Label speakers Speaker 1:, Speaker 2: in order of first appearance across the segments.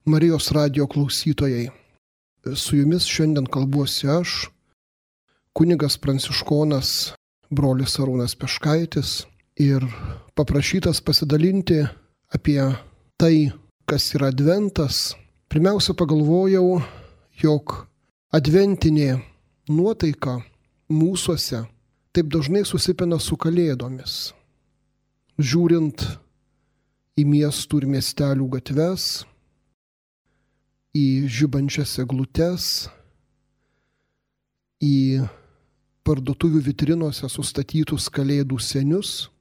Speaker 1: Marijos radijo klausytojai, su jumis šiandien kalbuosi aš, kunigas pranciškonas brolis Arūnas Peškaitis, ir paprašytas pasidalinti apie tai, kas yra adventas. Pirmiausia, pagalvojau, jog adventinė nuotaika mūsuose taip dažnai susipina su kalėdomis. Žiūrint į miestų ir miestelių gatves, į žibančias eglutes, į parduotuvių vitrinose sustatytus kalėdų senius,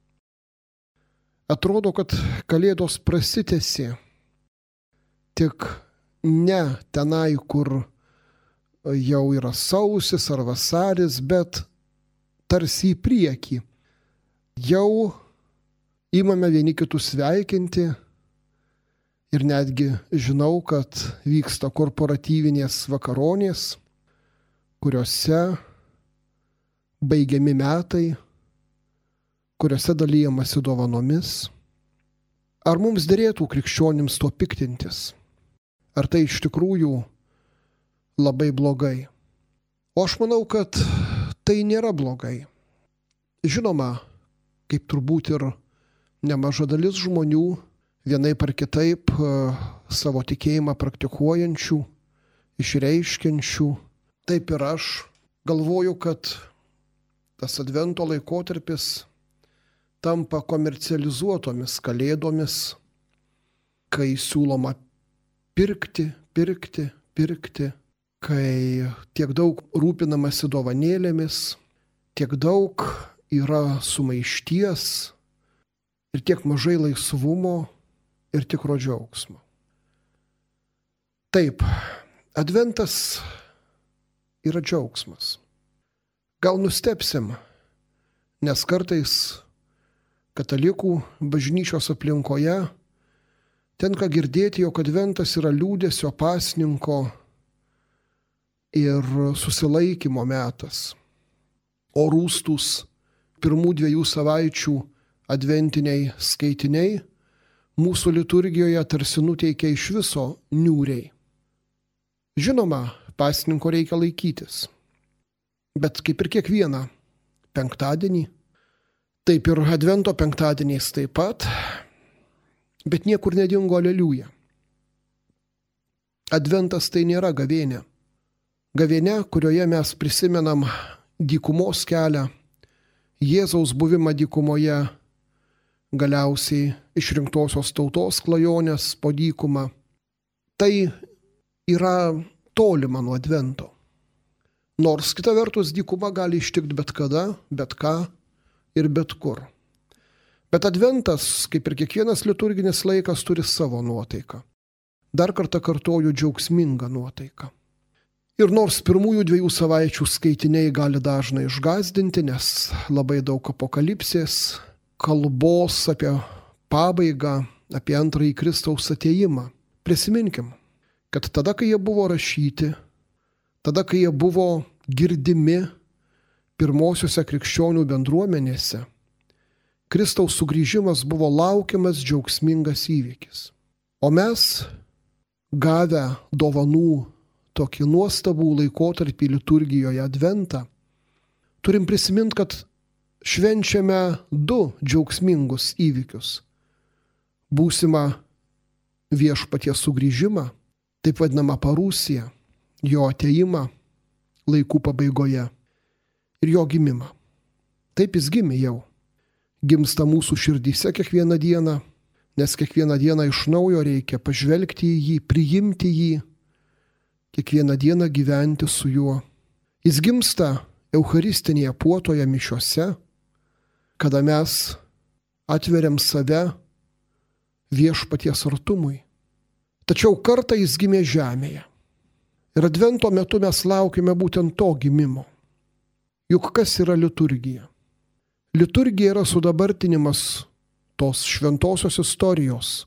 Speaker 1: atrodo, kad kalėdos prasitęsė tik ne tenai, kur jau yra sausis ar vasaris, bet tarsi į priekį. Jau imame vieni kitus sveikinti ir netgi žinau, kad vyksta korporatyvinės vakaronės, kuriuose baigiami metai, kuriuose dalijamasi dovanomis. Ar mums derėtų krikščionims tuo piktintis? Ar tai iš tikrųjų labai blogai? O aš manau, kad tai nėra blogai. Žinoma, kaip turbūt ir nemaža dalis žmonių, vienaip ar kitaip savo tikėjimą praktikuojančių, išreiškiančių, taip ir aš galvoju, kad tas advento laikotarpis tampa komercializuotomis kalėdomis, kai siūloma pirkti, kai tiek daug rūpinamasi dovanėlėmis, tiek daug yra sumaišties ir tiek mažai laisvumo ir tikro džiaugsmo. Taip, adventas yra džiaugsmas. Gal nustebsim, nes kartais katalikų bažnyčios aplinkoje tenka girdėti, jog adventas yra liūdesio, pasninko ir susilaikymo metas. O rūstūs pirmų 2 savaičių adventiniai skaitiniai mūsų liturgijoje tarsi nuteikia iš viso niūriai. Žinoma, pasninko reikia laikytis, bet kaip ir kiekvieną penktadienį, taip ir advento penktadieniais taip pat, bet niekur nedingo aleliuja. Adventas tai nėra gavėnia. Gavėnia, kurioje mes prisimenam dykumos kelią, Jėzaus buvimą dykumoje, galiausiai išrinktosios tautos klajonės po dykumą. Tai yra tolima nuo advento. Nors kita vertus dykuma gali ištikti bet kada, bet ką ir bet kur. Bet adventas, kaip ir kiekvienas liturginis laikas, turi savo nuotaiką. Dar kartą kartoju, džiaugsmingą nuotaiką. Ir nors pirmųjų 2 savaičių skaitiniai gali dažnai išgąsdinti, nes labai daug apokalipsės, kalbos apie pabaigą, apie antrąjį Kristaus atėjimą. Prisiminkim, kad tada, kai jie buvo rašyti, tada, kai jie buvo girdimi pirmosiuose krikščionių bendruomenėse, Kristaus sugrįžimas buvo laukiamas džiaugsmingas įvykis. O mes, gavę dovanų tokį nuostabų laikotarpį liturgijoje adventą, turim prisiminti, kad švenčiame 2 džiaugsmingus įvykius. Būsimą viešpaties sugrįžimą, taip vadinamą parusiją, jo atėjimą laikų pabaigoje ir jo gimimą. Taip jis gimė jau. Gimsta mūsų širdyse kiekvieną dieną, nes kiekvieną dieną iš naujo reikia pažvelgti į jį, priimti jį, kiekvieną dieną gyventi su juo. Jis gimsta eucharistinėje puotoje mišiose, kada mes atveriam save viešpaties artumui. Tačiau kartą jis gimė žemėje. Ir advento metu mes laukime būtent to gimimo. Juk kas yra liturgija? Liturgija yra sudabartinimas tos šventosios istorijos,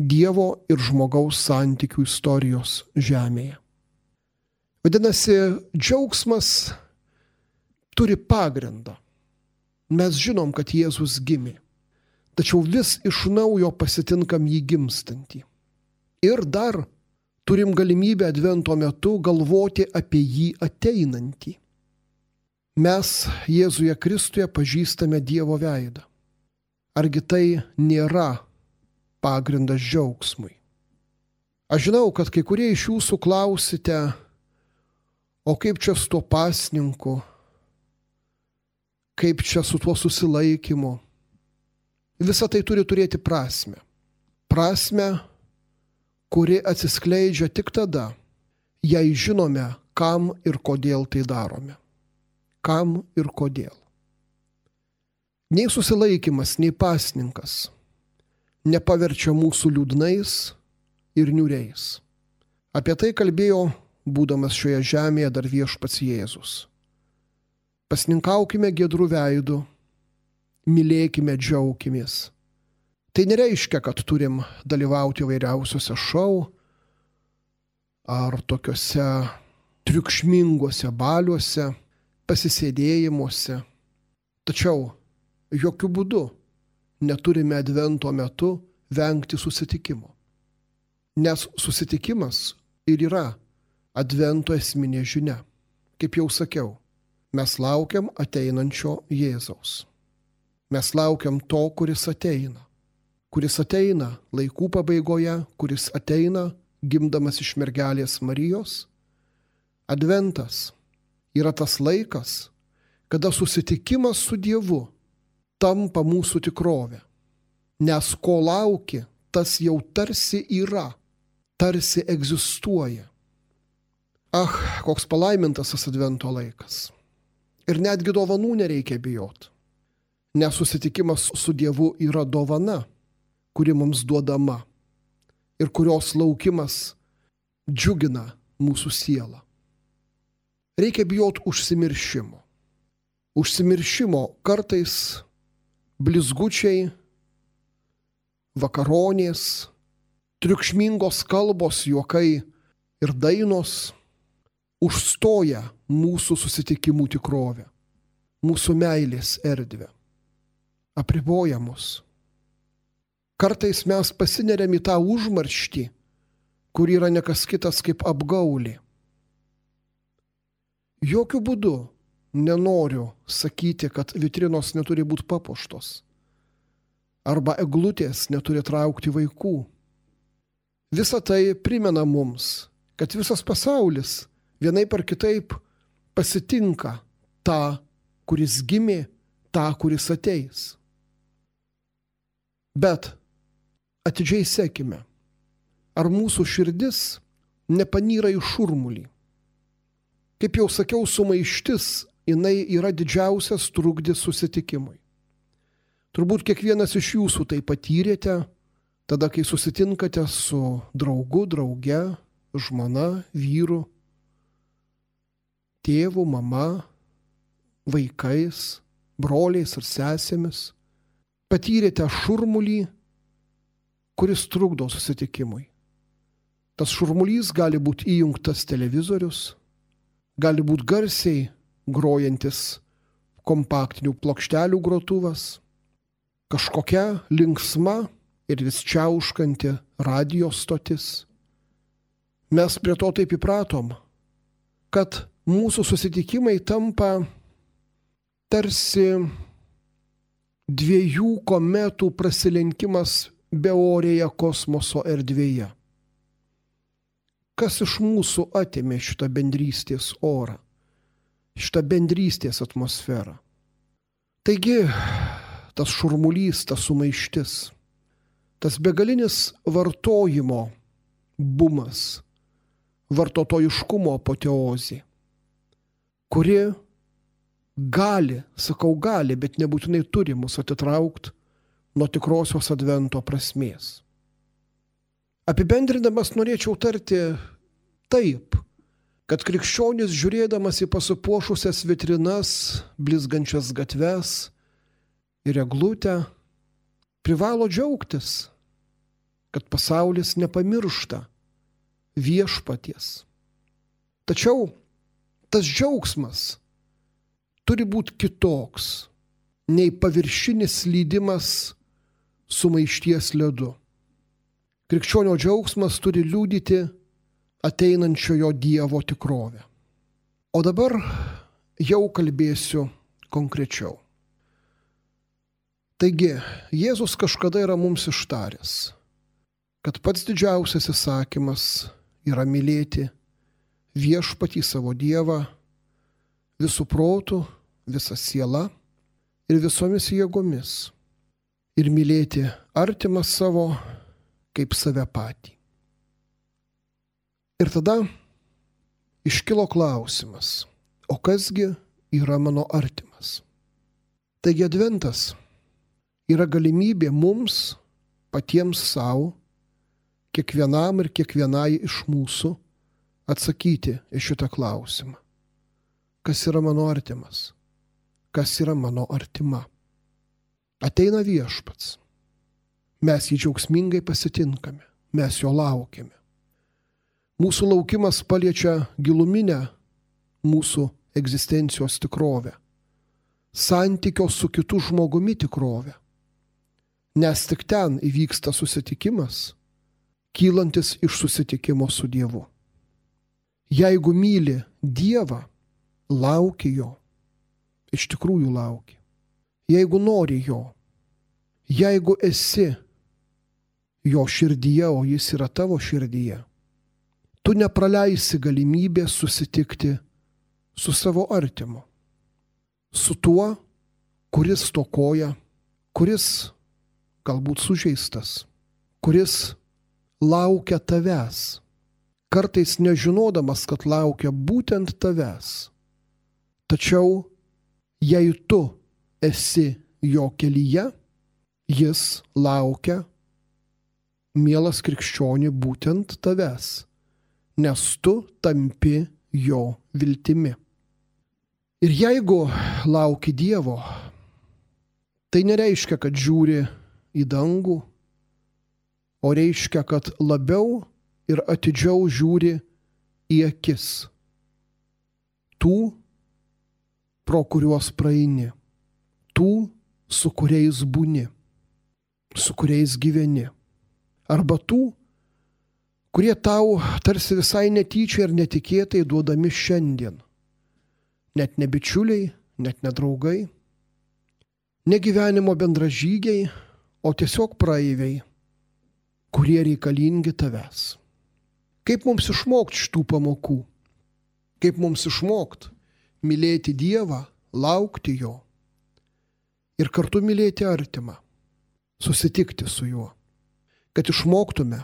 Speaker 1: Dievo ir žmogaus santykių istorijos žemėje. Vadinasi, džiaugsmas turi pagrindą. Mes žinom, kad Jėzus gimė, tačiau vis iš naujo pasitinkam jį gimstantį. Ir dar turim galimybę advento metu galvoti apie jį ateinantį. Mes Jėzuje Kristuje pažįstame Dievo veidą. Argi tai nėra pagrindas džiaugsmui? Aš žinau, kad kai kurie iš jūsų klausite, o kaip čia su tuo pasninku, kaip čia su tuo susilaikymu. Visa tai turi turėti prasmę. Prasmę, kuri atsiskleidžia tik tada, jei žinome, kam ir kodėl tai darome. Kam ir kodėl. Nei susilaikymas, nei pasninkas nepaverčia mūsų liūdnais ir niūriais. Apie tai kalbėjo, būdamas šioje žemėje, dar viešpats Jėzus. Pasninkaukime giedrų veidų, mylėkime, džiaukimės. Tai nereiškia, kad turim dalyvauti įvairiausiuose šou ar tokiuose triukšminguose baliuose, pasisėdėjimuose. Tačiau jokių būdų neturime advento metu vengti susitikimo. Nes susitikimas ir yra advento esminė žinia. Kaip jau sakiau, mes laukiam ateinančio Jėzaus. Mes laukiam to, kuris ateina. Kuris ateina laikų pabaigoje, kuris ateina gimdamas iš mergelės Marijos. Adventas yra tas laikas, kada susitikimas su Dievu tampa mūsų tikrovė. Nes ko lauki, tas jau tarsi yra, tarsi egzistuoja. Koks palaimintas tas advento laikas. Ir netgi dovanų nereikia bijoti. Nes susitikimas su Dievu yra dovana, kuri mums duodama ir kurios laukimas džiugina mūsų sielą. Reikia bijoti užsimiršimo. Užsimiršimo kartais blizgučiai, vakaronės, triukšmingos kalbos, juokai ir dainos užstoja mūsų susitikimų tikrovę, mūsų meilės erdvę, apriboja mus. Kartais mes pasineriam į tą užmarštį, kur yra nekas kitas kaip apgaulė. Jokių būdų nenoriu sakyti, kad vitrinos neturi būti papuoštos arba eglutės neturi traukti vaikų. Visa tai primena mums, kad visas pasaulis vienaip ar kitaip pasitinka tą, kuris gimė, tą, kuris ateis. Bet atidžiai sekime, ar mūsų širdis nepanyra į šurmulį. Kaip jau sakiau, sumaištis, jinai yra didžiausias trukdis susitikimui. Turbūt kiekvienas iš jūsų tai patyrėte, tada, kai susitinkate su draugu, drauge, žmona, vyru, tėvu, mama, vaikais, broliais ir sesėmis. Patyrėte šurmulį, kuris trukdo susitikimui. Tas šurmulys gali būti įjungtas televizorius, gali būti garsiai grojantis kompaktinių plokštelių grotuvas, kažkokia linksma ir vis čiauškanti radijo stotis. Mes prie to taip įpratom, kad mūsų susitikimai tampa tarsi dviejų kometų prasilenkimas beorėje kosmoso erdvėje. Kas iš mūsų atėmė šitą bendrystės orą, šitą bendrystės atmosferą? Taigi, tas šurmulys, tas sumaištis, tas begalinis vartojimo bumas, vartotojiškumo apoteozė, kuri gali, bet nebūtinai turi mus atitraukti nuo tikrosios advento prasmės. Apibendrindamas norėčiau tarti taip, kad krikščionis žiūrėdamas į pasipuošusias vitrinas, blizgančias gatves ir eglutę, privalo džiaugtis, kad pasaulis nepamiršta viešpaties. Tačiau tas džiaugsmas turi būti kitoks nei paviršinis slydimas sumaišties ledu. Krikščionio džiaugsmas turi liudyti ateinančiojo Dievo tikrovę. O dabar jau kalbėsiu konkrečiau. Taigi, Jėzus kažkada yra mums ištaręs, kad pats didžiausias įsakymas yra mylėti viešpatį savo Dievą visų protų, visa siela ir visomis jėgomis ir mylėti artimą savo kaip save patį. Ir tada iškilo klausimas, o kasgi yra mano artimas? Taigi adventas yra galimybė mums patiems savo, kiekvienam ir kiekvienai iš mūsų atsakyti į šitą klausimą. Kas yra mano artimas? Kas yra mano artima? Ateina viešpats. Mes jį džiaugsmingai pasitinkame, mes jo laukiame. Mūsų laukimas paliečia giluminę mūsų egzistencijos tikrovę, santykio su kitu žmogumi tikrovę. Nes tik ten įvyksta susitikimas, kylantis iš susitikimo su Dievu. Jeigu myli Dievą, lauki jo, iš tikrųjų lauki. Jeigu nori jo, jeigu esi jo širdyje, o jis yra tavo širdyje, tu nepraleisi galimybės susitikti su savo artimu, su tuo, kuris stokoja, kuris galbūt sužeistas, kuris laukia tavęs, kartais nežinodamas, kad laukia būtent tavęs. Tačiau, jei tu esi jo kelyje, jis laukia, mielas krikščioni, būtent tavęs, nes tu tampi jo viltimi. Ir jeigu lauki Dievo, tai nereiškia, kad žiūri į dangų, o reiškia, kad labiau ir atidžiau žiūri į akis tų, pro kuriuos praeini, tų, su kuriais būni, su kuriais gyveni, arba tų, kurie tau tarsi visai netyčia ir netikėtai duodami šiandien. Net ne bičiuliai, net ne draugai, ne gyvenimo bendražygiai, o tiesiog praeiviai, kurie reikalingi tavęs. Kaip mums išmokti šitų pamokų? Kaip mums išmokti mylėti Dievą, laukti jo ir kartu mylėti artimą, susitikti su juo? Kad išmoktume,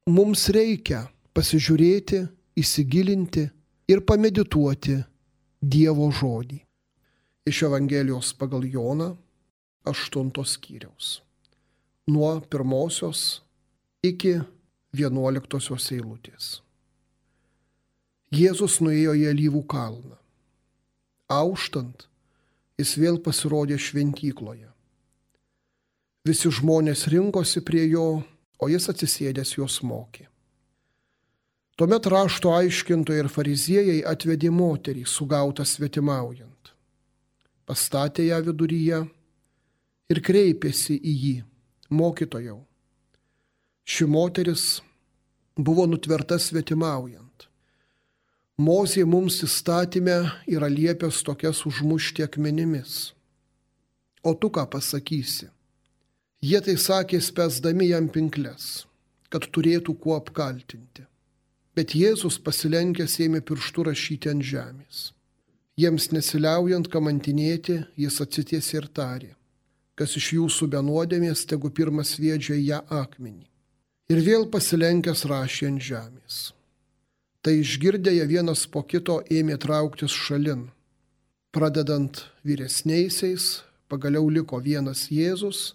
Speaker 1: mums reikia pasižiūrėti, įsigilinti ir pamedituoti Dievo žodį. Iš Evangelijos pagal Joną 8 skyriaus. Nuo 1 iki 11 eilutės. Jėzus nuėjo į Alyvų kalną. Auštant, jis vėl pasirodė šventykloje. Visi žmonės rinkosi prie jo, o jis atsisėdęs juos mokė. Tuomet rašto aiškintojai ir fariziejai atvedė moterį, sugautą svetimaujant. Pastatė ją viduryje ir kreipėsi į jį: Mokytojau, ši moteris buvo nutverta svetimaujant. Mozė mums įstatyme yra liepęs tokias užmušti akmenimis. O tu ką pasakysi? Jie tai sakė spęsdami jam pinkles, kad turėtų kuo apkaltinti. Bet Jėzus pasilenkęs ėmė pirštu rašyti ant žemės. Jiems nesiliaujant kamantinėti, jis atsitiesė ir tarė: Kas iš jūsų be nuodėmės, tegu pirmas sviedžia ją akmenį. Ir vėl pasilenkęs rašė ant žemės. Tai išgirdę jie vienas po kito ėmė trauktis šalin. Pradedant vyresniaisiais, pagaliau liko vienas Jėzus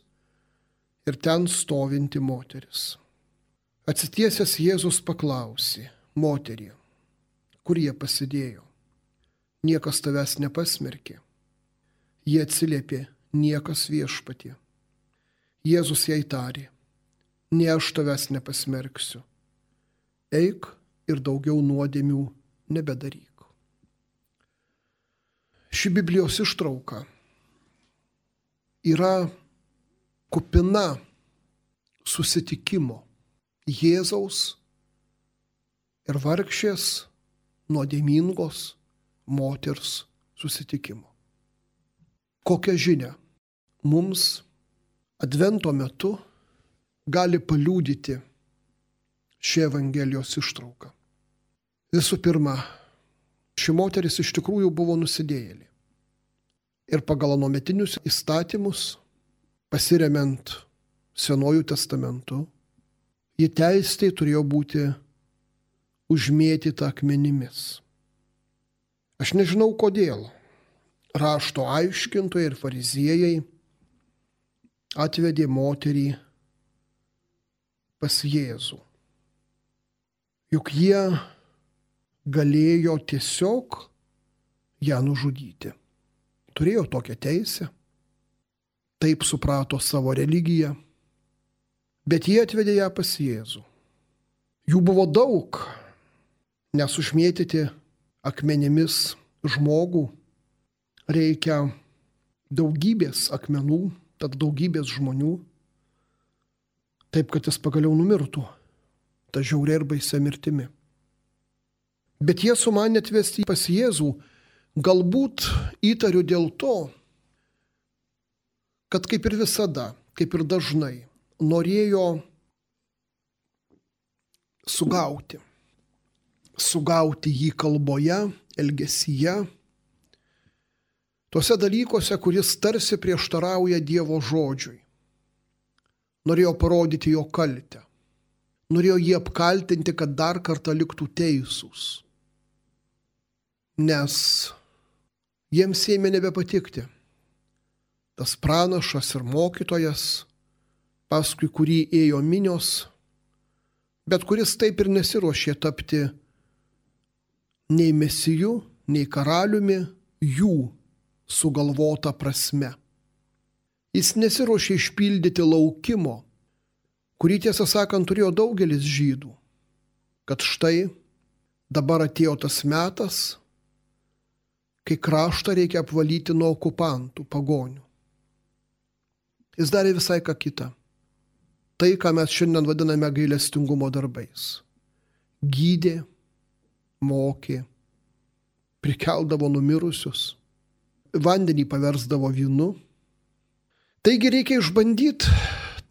Speaker 1: ir ten stovinti moteris. Atsitiesęs Jėzus paklausė: Moterie, kur jie pasidėjo? Niekas tavęs nepasmerkė. Jie atsiliepė: Niekas, Viešpatie. Jėzus jai tarė: Ne aš tavęs nepasmerksiu. Eik ir daugiau nuodėmių nebedaryk. Ši Biblijos ištrauka yra kupina susitikimo Jėzaus ir vargšės nuodėmingos moters susitikimo. Kokią žinią mums Advento metu gali paliudyti ši Evangelijos ištrauka? Visų pirma, ši moteris iš tikrųjų buvo nusidėjėlė. Ir pagal anuometinius įstatymus, pasiremiant Senuoju testamentu, ji teistai turėjo būti užmėtyta akmenimis. Aš nežinau kodėl rašto aiškintojai ir fariziejai atvedė moterį pas Jėzų. Juk jie galėjo tiesiog ją nužudyti. Turėjo tokią teisę, taip suprato savo religiją, bet jie atvedė ją pas Jėzų. Jų buvo daug, nes užmėtyti akmenimis žmogų reikia daugybės akmenų, tad daugybės žmonių, taip kad jis pagaliau numirtų, ta žiauria ir baisia mirtimi. Bet jie sumanė atvesti pas Jėzų, galbūt įtariu dėl to, kad kaip ir visada, kaip ir dažnai, norėjo sugauti jį kalboje, elgesyje, tuose dalykuose, kuris tarsi prieštarauja Dievo žodžiui. Norėjo parodyti jo kaltę. Norėjo jį apkaltinti, kad dar kartą liktų teisūs. Nes jiems ėmė nebepatikti tas pranašas ir mokytojas, paskui kurį ėjo minios, bet kuris taip ir nesiruošė tapti nei mesiju, nei karaliumi jų sugalvota prasme. Jis nesiruošė išpildyti laukimo, kurį tiesą sakant turėjo daugelis žydų, kad štai dabar atėjo tas metas, kai kraštą reikia apvalyti nuo okupantų, pagonių. Jis darė visai ką kitą. Tai, ką mes šiandien vadiname gailestingumo darbais. Gydė, mokė, prikeldavo numirusius, vandenį paversdavo vynu. Taigi reikia išbandyti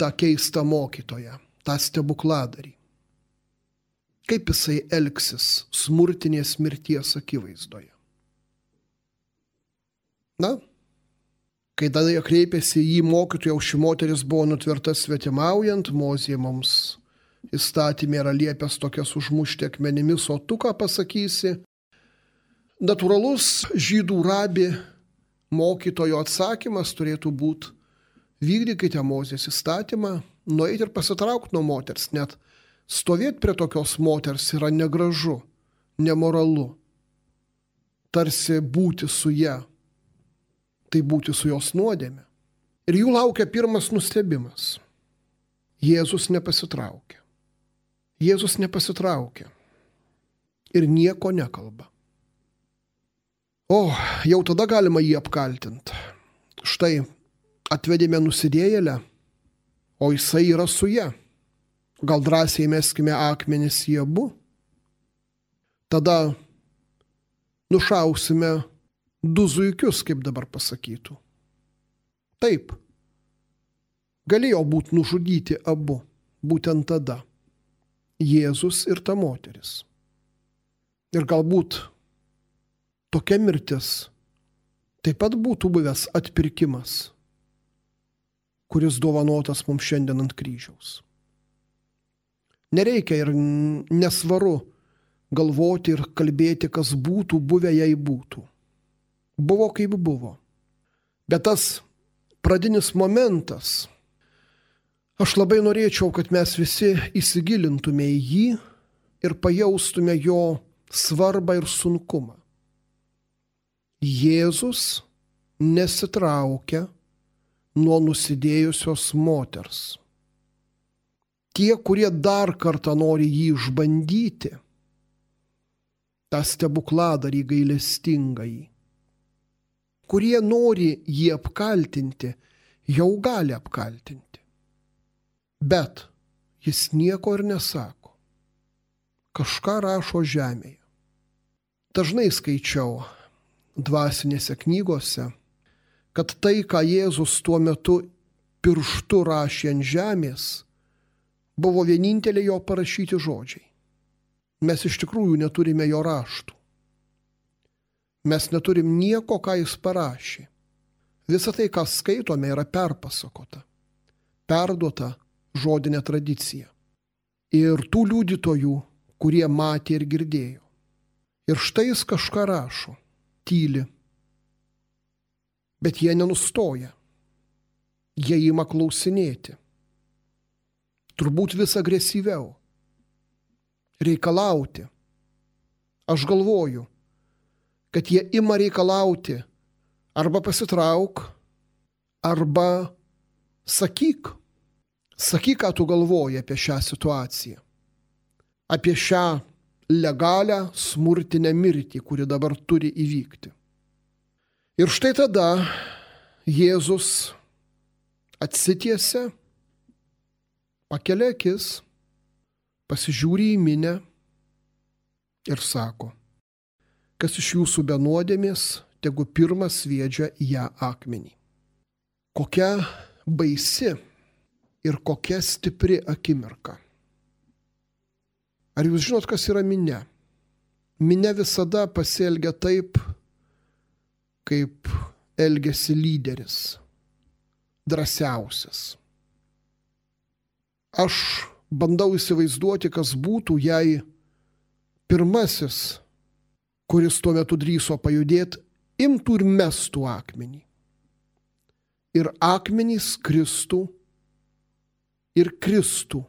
Speaker 1: tą keistą mokytoją, tą stebukladarį. Kaip jisai elgsis smurtinės mirties akivaizdoje. Na, kai tada jie kreipėsi į mokytoją, ši moteris buvo nutverta svetimaujant, Mozė mums įstatymė yra liepęs tokias užmušti akmenimis, o tu ką pasakysi? Natūralus žydų rabi mokytojo atsakymas turėtų būti: vykdykite Mozės įstatymą, nueiti ir pasitraukti nuo moters, net stovėti prie tokios moters yra negražu, nemoralu. Tarsi būti su ja, tai būti su jos nuodėme. Ir jų laukia pirmas nustebimas. Jėzus nepasitraukė. Jėzus nepasitraukė ir nieko nekalba. O, jau tada galima jį apkaltinti. Štai atvedėme nusidėjėlę, o jisai yra su ja. Gal drąsiai meskime akmenis į abu? Tada nušausime du zuikius, kaip dabar pasakytų. Taip, galėjo būti nužudyti abu, būtent tada. Jėzus ir ta moteris. Ir galbūt tokia mirtis taip pat būtų buvęs atpirkimas, kuris dovanotas mums šiandien ant kryžiaus. Nereikia ir nesvaru galvoti ir kalbėti, kas būtų buvę, jei būtų. Buvo kaip buvo. Bet tas pradinis momentas, aš labai norėčiau, kad mes visi įsigilintume į jį ir pajaustume jo svarbą ir sunkumą. Jėzus nesitraukia nuo nusidėjusios moters. Tie, kurie dar kartą nori jį išbandyti, tą stebukladarį gailestingąjį, kurie nori jį apkaltinti, jau gali apkaltinti. Bet jis nieko ir nesako. Kažką rašo žemėje. Dažnai skaičiau dvasinėse knygose, kad tai, ką Jėzus tuo metu pirštu rašė ant žemės, buvo vieninteliai jo parašyti žodžiai. Mes iš tikrųjų neturime jo raštų. Mes neturim nieko, ką jis parašė. Visa tai, ką skaitome, yra perpasakota, perduota žodinė tradicija. Ir tų liudytojų, kurie matė ir girdėjo. Ir štai jis kažką rašo, tyli. Bet jie nenustoja. Jie ima klausinėti. Turbūt vis agresyviau. Reikalauti. Aš galvoju, kad jie ima reikalauti arba pasitrauk, arba sakyk. Sakyk, ką tu galvoji apie šią situaciją. Apie šią legalią smurtinę mirtį, kuri dabar turi įvykti. Ir štai tada Jėzus atsitiesia, pakelia akis, pasižiūri į minią ir sako, kas iš jūsų be nuodėmės, tegu pirmas sviedžia į ją akmenį. Kokia baisi ir kokia stipri akimirka. Ar jūs žinot, kas yra minia? Minia visada pasielgia taip, kaip elgiasi lyderis, drąsiausias. Aš bandau įsivaizduoti, kas būtų, jei pirmasis, kuris tuo metu drįso pajudėti, imtų ir mestų akmenį. Ir akmenys kristų ir kristų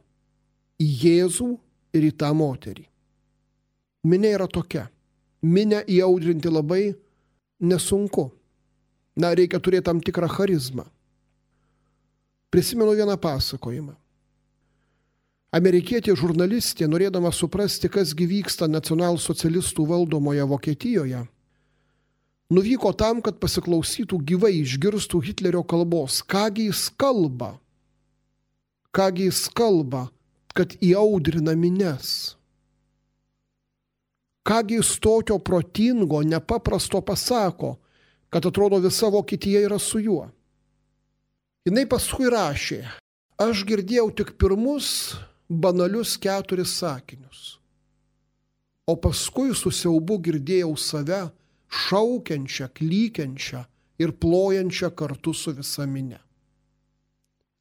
Speaker 1: į Jėzų ir į tą moterį. Minia yra tokia. Minia įaudrinti labai nesunku. Reikia turėti tam tikrą charizmą. Prisimenu vieną pasakojimą. Amerikietė žurnalistė, norėdama suprasti, kas gi vyksta nacionalsocialistų valdomoje Vokietijoje, nuvyko tam, kad pasiklausytų gyvai, išgirstų Hitlerio kalbos. Kągi jis kalba? Kągi jis kalba, kad įaudrina minias? Kągi jis tokio protingo, nepaprasto pasako, kad atrodo visa Vokietija yra su juo? Jinai paskui rašė, aš girdėjau tik pirmus banalius 4 sakinius, o paskui su siaubu girdėjau save šaukiančią, klykiančią ir plojančią kartu su visa minia.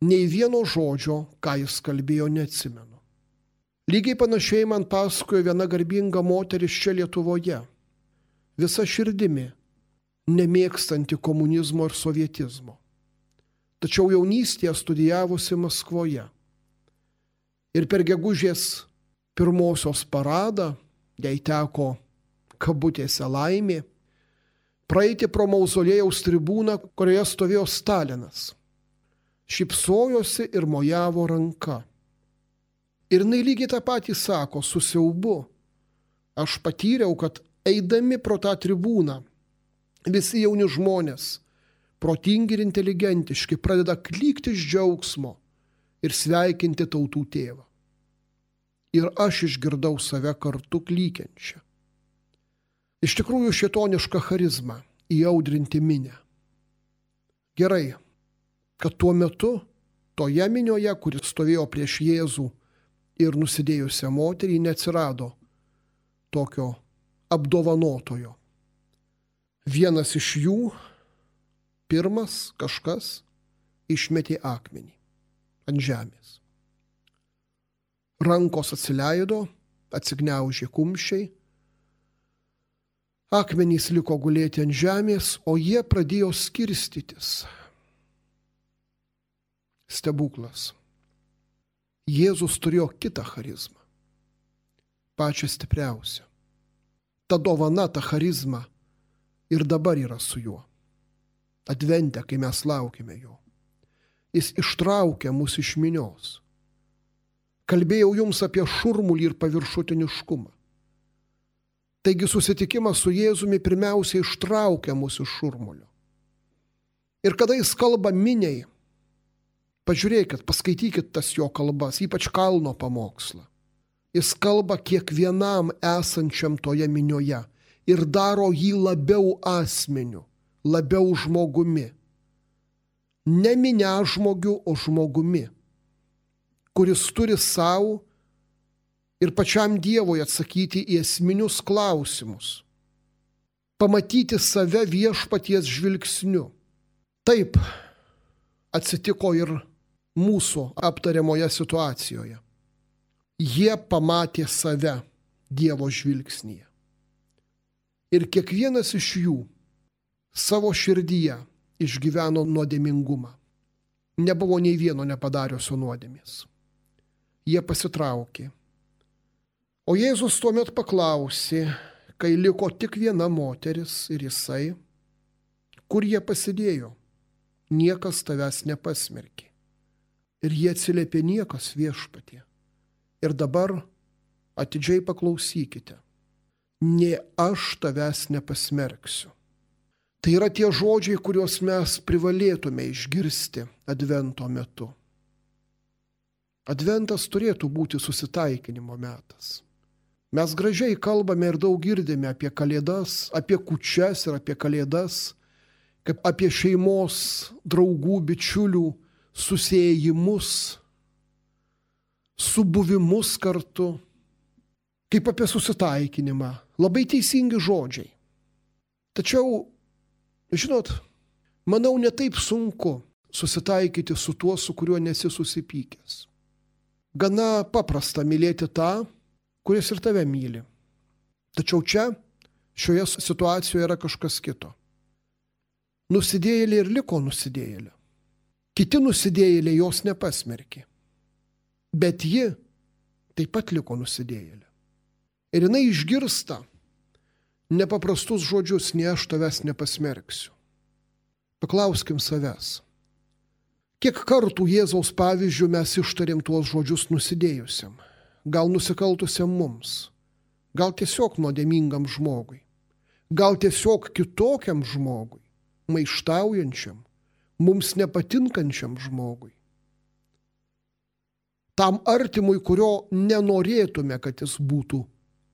Speaker 1: Nei vieno žodžio, ką jis kalbėjo, neatsimenu. Lygiai panašiai man pasakojo viena garbinga moteris čia Lietuvoje, visa širdimi, nemėgstanti komunizmo ir sovietizmo. Tačiau jaunystėje studijavusi Maskvoje. Ir per gegužės 1 paradą, jai teko kabutėse laimė, praeiti pro mauzolėjaus tribūną, kurioje stovėjo Stalinas. Šypsojosi ir mojavo ranka. Ir jinai lygiai tą patį sako, su siaubu. Aš patyriau, kad eidami pro tą tribūną, visi jauni žmonės, protingi ir inteligentiški, pradeda klykti iš džiaugsmo ir sveikinti tautų tėvą. Ir aš išgirdau save kartu klykiančią. Iš tikrųjų šėtoniška charizma įaudrinti minią. Gerai, kad tuo metu toje minioje, kuris stovėjo prieš Jėzų ir nusidėjusią moterį, neatsirado tokio apdovanotojo. Vienas iš jų, pirmas kažkas, išmetė akmenį ant žemės. Rankos atsileido, atsigniaužė kumščiai, akmenys liko gulėti ant žemės, o jie pradėjo skirstytis. Stebuklas. Jėzus turėjo kitą charizmą, pačią stipriausią. Ta dovana, ta charizma ir dabar yra su juo. Advente, kai mes laukime jo. Jis ištraukia mus iš minios. Kalbėjau jums apie šurmulį ir paviršutiniškumą. Taigi susitikimas su Jėzumi pirmiausiai ištraukia mus iš šurmulio. Ir kada jis kalba miniai, Pažiūrėkit, paskaitykit tas jo kalbas, ypač kalno pamokslą. Jis kalba kiekvienam esančiam toje minioje ir daro jį labiau asmeniu, labiau žmogumi. Ne minia žmogiu, o žmogumi, kuris turi savo ir pačiam Dievui atsakyti į esminius klausimus. Pamatyti save viešpaties žvilgsniu. Taip atsitiko ir mūsų aptariamoje situacijoje. Jie pamatė save Dievo žvilgsnyje. Ir kiekvienas iš jų savo širdyje išgyveno nuodėmingumą. Nebuvo nei vieno nepadariusio nuodėmės. Jie pasitraukė. O Jėzus tuomet paklausė, kai liko tik viena moteris ir jisai, kur jie pasidėjo, niekas tavęs nepasmerkė. Ir jie atsiliepė, niekas, Viešpatie. Ir dabar atidžiai paklausykite, nė aš tavęs nepasmerksiu. Tai yra tie žodžiai, kuriuos mes privalėtume išgirsti Advento metu. Adventas turėtų būti susitaikinimo metas. Mes gražiai kalbame ir daug girdime apie kalėdas, apie kūčias ir apie kalėdas, kaip apie šeimos, draugų, bičiulių susiejimus, subuvimus kartu, kaip apie susitaikinimą. Labai teisingi žodžiai. Tačiau, žinot, manau, ne taip sunku susitaikyti su tuo, su kuriuo nesi susipykęs. Gana paprasta mylėti tą, kuris ir tave myli. Tačiau čia, šioje situacijoje yra kažkas kito. Nusidėjėlė ir liko nusidėjėlė. Kiti nusidėjėliai jos nepasmerkė. Bet ji taip pat liko nusidėjėlė. Ir jinai išgirsta nepaprastus žodžius, ne aš tavęs nepasmerksiu. Paklauskim savęs. Kiek kartų Jėzaus pavyzdžių mes ištarėm tuos žodžius nusidėjusiam? Gal nusikaltusiam mums? Gal tiesiog nuodėmingam žmogui? Gal tiesiog kitokiam žmogui? Maištaujančiam? Mums nepatinkančiam žmogui? Tam artimui, kurio nenorėtume, kad jis būtų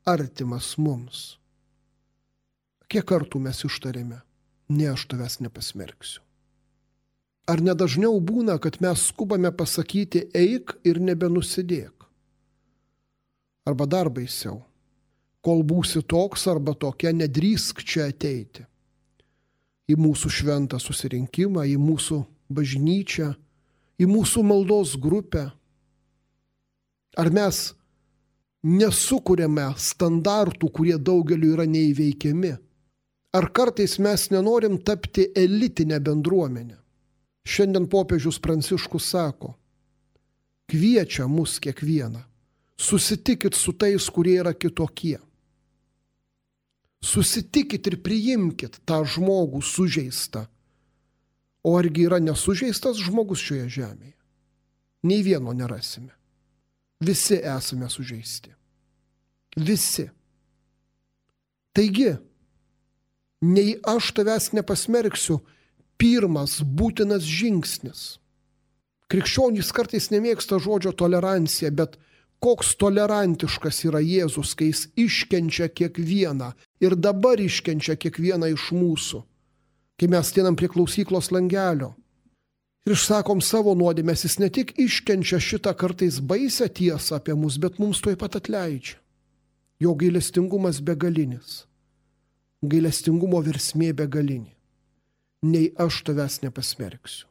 Speaker 1: artimas mums. Kiek kartų mes ištarėme, ne aš tavęs nepasmerksiu. Ar nedažniau būna, kad mes skubame pasakyti eik ir nebenusidėk? Arba dar baisiau, kol būsi toks arba tokia, nedrįsk čia ateiti. Į mūsų šventą susirinkimą, į mūsų bažnyčią, į mūsų maldos grupę. Ar mes nesukuriame standartų, kurie daugeliu yra neįveikiami? Ar kartais mes nenorim tapti elitinę bendruomenę? Šiandien popiežius Pranciškus sako, kviečia mus kiekvieną, susitikit su tais, kurie yra kitokie. Susitikit ir priimkit tą žmogų sužeistą. O argi yra nesužeistas žmogus šioje žemėje? Nei vieno nerasime. Visi esame sužeisti. Visi. Taigi, nei aš tavęs nepasmerksiu, pirmas būtinas žingsnis. Krikščionys kartais nemėgsta žodžio tolerancija, bet koks tolerantiškas yra Jėzus, kai jis iškenčia kiekvieną ir dabar iškenčia kiekvieną iš mūsų. Kai mes ateinam prie klausyklos langelio ir išsakom savo nuodėmes, jis ne tik iškenčia šitą kartais baisę tiesą apie mus, bet mums tuoj pat atleidžia. Jo gailestingumas begalinis. Gailestingumo versmė begalinė. Nei aš tavęs nepasmerksiu.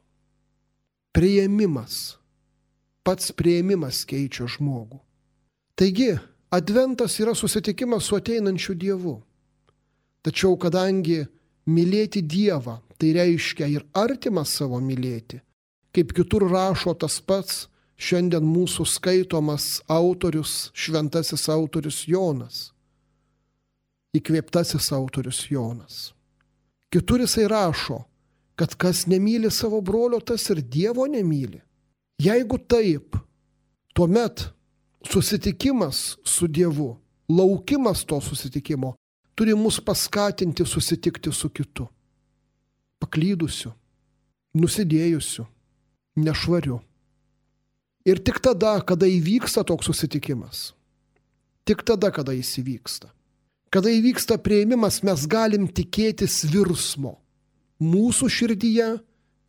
Speaker 1: Priėmimas. Pats priėmimas keičia žmogų. Taigi, Adventas yra susitikimas su ateinančiu Dievu. Tačiau kadangi mylėti Dievą, tai reiškia ir artimą savo mylėti, kaip kitur rašo tas pats šiandien mūsų skaitomas autorius, šventasis autorius Jonas, įkvėptasis autorius Jonas. Kitur jisai rašo, kad kas nemyli savo brolio, tas ir Dievo nemyli. Jeigu taip, tuomet susitikimas su Dievu, laukimas to susitikimo, turi mus paskatinti susitikti su kitu. Paklydusiu, nusidėjusiu, nešvariu, Ir tik tada, kada įvyksta toks susitikimas, tik tada, kada jis įvyksta, kada įvyksta priėmimas, mes galim tikėtis virsmo mūsų širdyje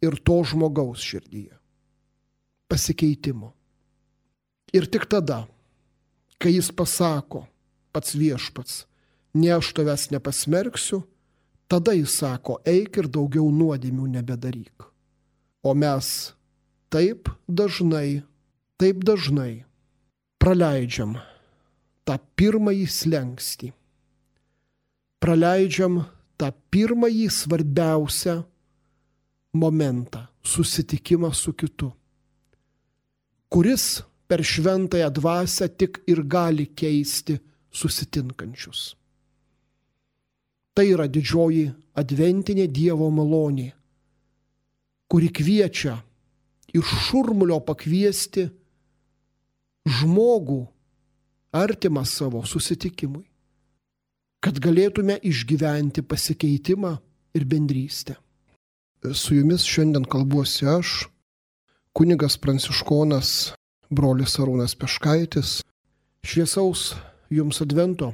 Speaker 1: ir to žmogaus širdyje. Pasikeitimo. Ir tik tada, kai jis pasako, pats viešpats, ne aš tavęs nepasmerksiu, tada jis sako, eik ir daugiau nuodėmių nebedaryk. O mes taip dažnai praleidžiam tą pirmąjį slenkstį. Praleidžiam tą pirmąjį svarbiausią momentą – susitikimą su kitu, kuris per šventąją dvasią tik ir gali keisti susitinkančius. Tai yra didžioji adventinė Dievo malonė, kuri kviečia iš šurmulio pakviesti žmogų artimą savo susitikimui, kad galėtume išgyventi pasikeitimą ir bendrystę. Su jumis šiandien kalbuosi aš, kunigas pranciškonas brolis Arūnas Peškaitis. Šviesaus jums advento.